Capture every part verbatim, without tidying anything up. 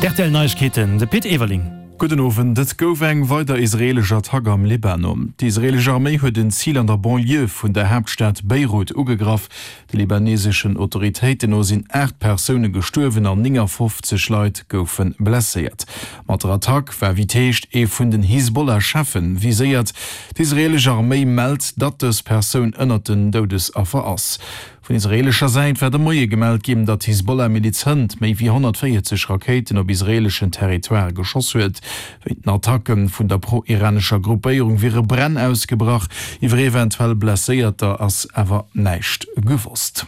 D' R T L Neiegkeeten, de Pit Everling. Gudden Owend. Et gouf eng weider israeelesch Attack am Libanon. D'israeelesch Arméi huet en Zil an der Banlieue vun der Haaptstad Beirut ugegraff. De libaneseschen Autoritéiten no sinn aacht Persoune gestuerwen an néngafofzeg Leit goufe blesséiert. Mat der Attack war wéi et heescht ee vun den Hisbollah-Cheffe viséiert. D'israeelesch Arméi mellt, datt dës Persoun ënnert den Doudesaffer ass. Vun israeelescher Säit war de Moie gemellt ginn, datt d'Hisbollah-Miliz hënt méi wéi honnertvéierzeg Rakéiten op israeeleschen Territoire geschoss huet. Wéint den Attacke vun der pro-iranescher Gruppéierung wiere Bränn ausgebrach. Iwwer eventuell Blesséierter ass awer näischt gewosst.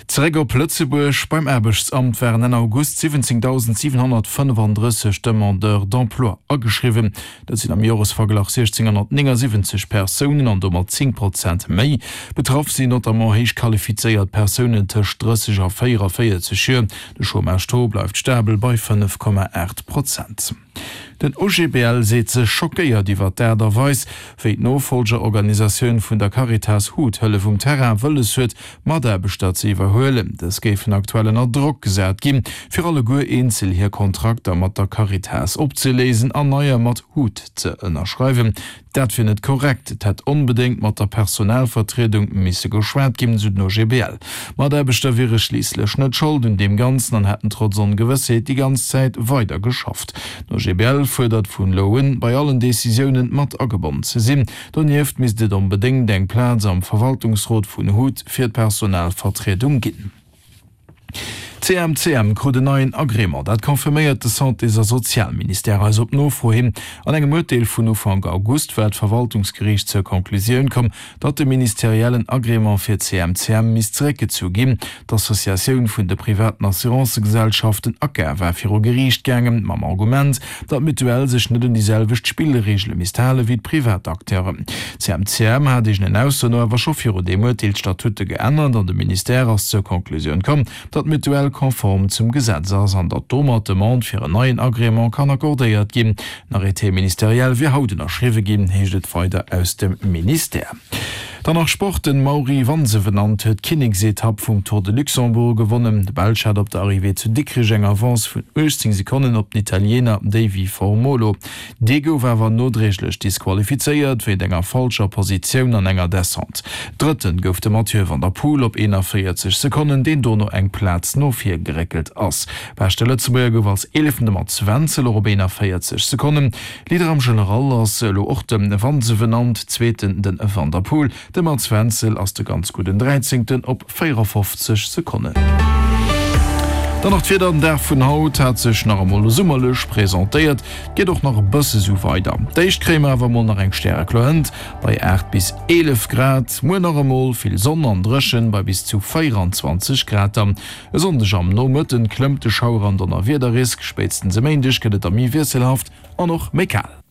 Zeréck op Lëtzebuerg, Beim Aarbechtsamt waren Enn August siwwenzéngdausendsiwenhonnertfënnefandrësseg Demandeurs d'emploi ageschriwwen. Dat sinn am Joresverglach siechzénghonnertnéngasiwwenzeg Persounen an domat zéng Prozent méi. Betraff sinn notamment héich qualifizéiert Persounen tëscht drësseg a véieraféierzeg Joer. De Chômage-Taux bleift stabel bei fënnef Komma aacht Prozent. Den O G B L seet sech schockéiert iwwer d'Aart a Weis, wéi d'Nofollgerorganisatioun vun der Caritas hut Hëllef um Terrain wëlles huet, Mataarbechter ze iwwerhuelen. Dës géifen aktuell ënner Drock gesat ginn, fir alleguer eenzel hir Kontrakter mat der Caritas opzeléisen an neier mat hut ze ënnerschreiwen. Dat wier net korrekt, et hätt onbedéngt mat der Personalvertriedung misse geschwat ginn, sou den O G B L. D'Mataarbechter wiere schliisslech net Schold un deem Ganzen an hätten trotz Ongewëssheet déi ganz Zäit weider geschafft. Den O G B L fuerdert vun elo un, bei allen Decisiounen mat agebonnen ze sinn. Donieft misst et onbedéngt eng Plaz am Verwaltungsrot vun hut fir d'Personalvertriedung ginn. C M C M krut en neien Agrément, dat confirméiert de Santés a Sozialministère eis op Nofro hin. An engem Urteel vun Ufank August war d'Verwaltungsgeriicht zur Conclusioun komm, datt de ministeriellen Agrément fir C M C M misst zeréckgezu ginn. D'Associatioun vun de privaten Assurancëgesellschaften ACA war viru Geriicht gaangen, mam Argument, datt d'Mutuelle sech net un déi selwecht Spillreegele misst hale wéi d'privat Acteuren. C M C M hat eegenen Aussoen no awer scho viru deem Urteel d'Statute geännert an de Ministère ass zur Conclusioun komm, datt d'Mutuelle konform zum Gesetz ass an datt domat d'Demande fir en neien Agrément kann accordéiert ginn. Den Arrêté ministériel wier haut ënnerschriwwe ginn, heescht et weider aus dem Ministère. Dann nach Sport, Den Mauri Vansevenant huet d'Kinneksetapp vum Tour de Luxembourg gewonnen. De Belsch hat op der Arrivée zu Dikrech eng Avance vun uechtzéng Sekonnen op den Italiener Davy Formolo. Dee gouf awer nodréiglech disqualifizéiert wéint enger falscher Positioun an enger Descente. Drëtten gouf de Mathieu van der Poel op eenaféierzeg Sekonnen, deen dono eng Plaz no vir geréckelt ass. Beschte Lëtzebuerger gouf als Eeleften de Mats Wenzel, och op eenaféierzeg Sekonnen. Leader am General ass elo och de Vansevenant, Zweeten de Van der Poel. De Mats Wenzel ass de ganz gudden Dräizéngten op véierafofzeg Sekonnen. Dann nach d'Wieder, Den Dag vun haut hat sech nach emol summerlech presentéiert, geet och nach e bësse sou weider. D'éischt kréie mer awer emol nach eng stärekloer Hënt bei aacht bis eelef Grad. Muer nach emol vill Sonn an dréchen bei bis zu véieranzwanzeg Grad. Dann e Sonndeg am Nomëtten klëmmt de Schauer an Donnerwiederrisk, spéitstens e Méindeg gëtt et da méi wiesselhaft an och méi kal.